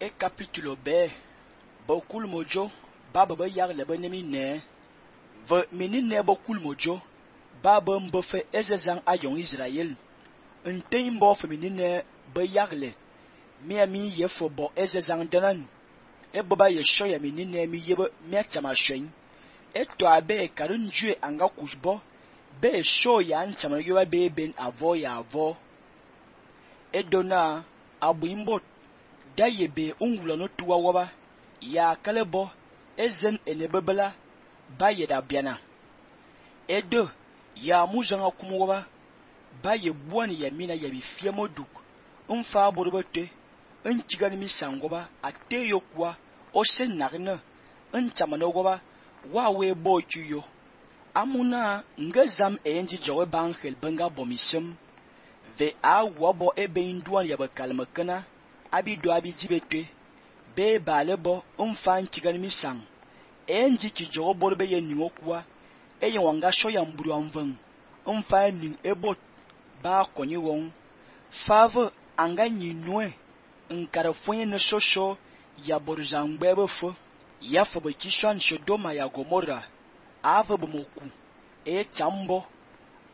e capítulo B bokul mojo baba yag le benemi ne ve menine bokul mojo baba mbofe ezezang ayong Israël nteng mbo fe menine be yagle mi yefo bo ezezang danan e baba ye shoya menine mi yebe mi chama shwen e to abe karun jue anga kujbo be shoya nchama yoba be ben avo ya avo e dona abuimbot da yebe ungula no tuwa waba ya kalebo ezen enebebela ba yeda biana edo ya muzanga kumwaba ba ye buani ya mina ya bifie moduk mfa borobete nchigani misangoba ateyo kwa ose nagne nchamano goba wawe bochuyo amuna ngazam enji jowe bankhel benga bomisem ve a wabo ebe induan ya bakalmakana abido abijibete be balebo mfa nchigani misang enji ki jowo borbe ye niokwa eye wanga shoya mburu amvan mfa ning ebot ba konyi won fave anga nyinwe nkara fonye ne shosho ya borzangbe befo ya fobe kishwan Sodoma ya Gomorra ave bomoku e chambo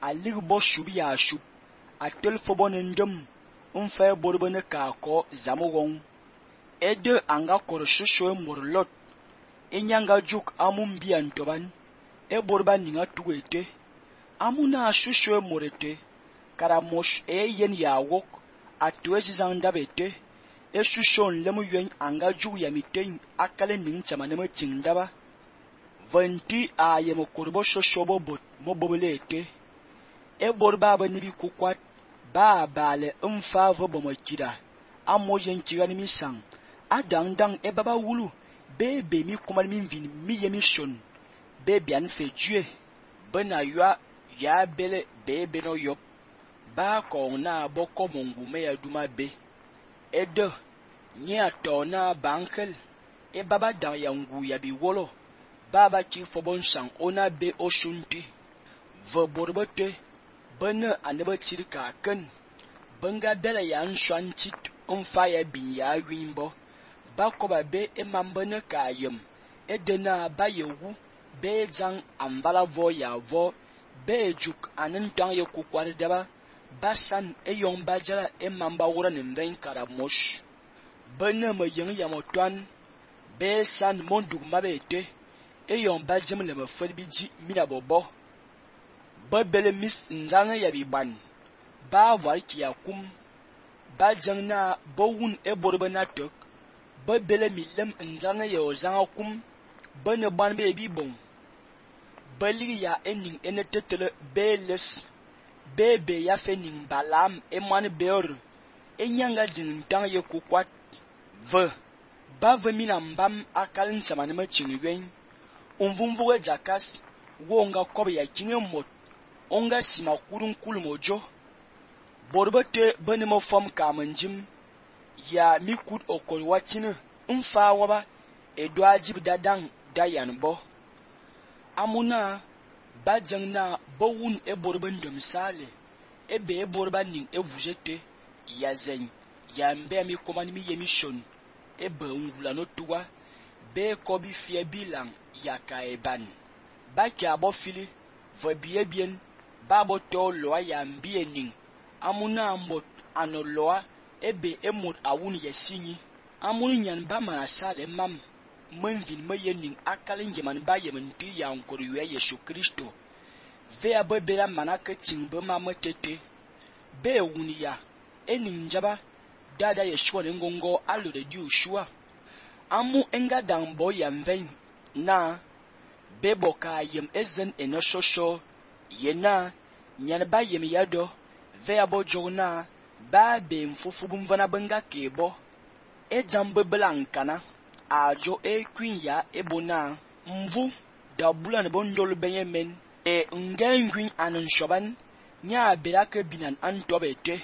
aligbo shubi ya shub atel fobo ndem mfa borbe ne ka ko zamugon ede anga kor shosho morlot enyanga juk amumbia ntoban e borba ninga tuwete amuna shusho morete karamosh e yen ya wok atwezi zandabete e shusho lemu yuen anga ju ya miten akale ning chama ne chingdaba vanti ayemo korbo shosho bobot mobobelete e borba ba nibi kukwat ba bale mfa vo bomokira amoyen kirani misang adang e baba wulu bebe mi kumal min vin mi yemi shon bebe an fe jue bena yua ya bele bebe no yop ba ko na boko mongu me ya duma be edo nya to na bankel e baba dan yangu ya bi wolo baba ki fobon sang ona be oshunti vo borbote bena anebe tirka ken benga bele ya nshantit umfa ya bin ya wimbo ba koba be emambene kayem edena ba yewu be jang ambala vo ya vo be juk anen tang ye kukwar daba basan eyong bajara emamba wura nimben karamosh bene me yeng ya motwan be san monduk mabete eyong bajem le me felbiji mina bobo ba bele mis nzanga ya biban ba war ki yakum ba jang na bowun e borbe na tok ba bele milem nzanga ya ozanga kum bene ban be bi bon bali ya ening enetetele beles bebe ya fening balam eman beor enyanga jing tang ye kukwat ve bave mina mbam akalin chamane ma chingwen umvumvuwe jakas wonga kobe ya kinge mot onga sima kurun kulmojo borbete bene mo fam kamanjim ya mikut okol watine mfa waba edo ajib dadang dayanbo amuna bajang na bowun e borban de misale ebe e borban ning e vujete ya zen ya mbe mi komani mi yemission ebe ngula no tuwa be ko bi fie bilang ya kaeban ba kya bo fili vo biye bien babo to loa ya mbie ning amuna mbot ano loa ebe emot awun yesinyi amun nyan ba ma sale mam menvin me yening akalin yeman ba yemanti ya nkor yue Yesu Kristo ve abebera manaka tingbe mametete be wunia ening njaba dada Yeshua ngongo alo de Joshua amu enga dambo ya mven na beboka yem ezen enoshosho yena nyan ba yem yado ve abojona ba be mfufu bumvana benga kebo ejambe blankana ajo queen ya ebona mvu da bulan bondol benyemen e ngengwin anan shoban nya berake binan antobete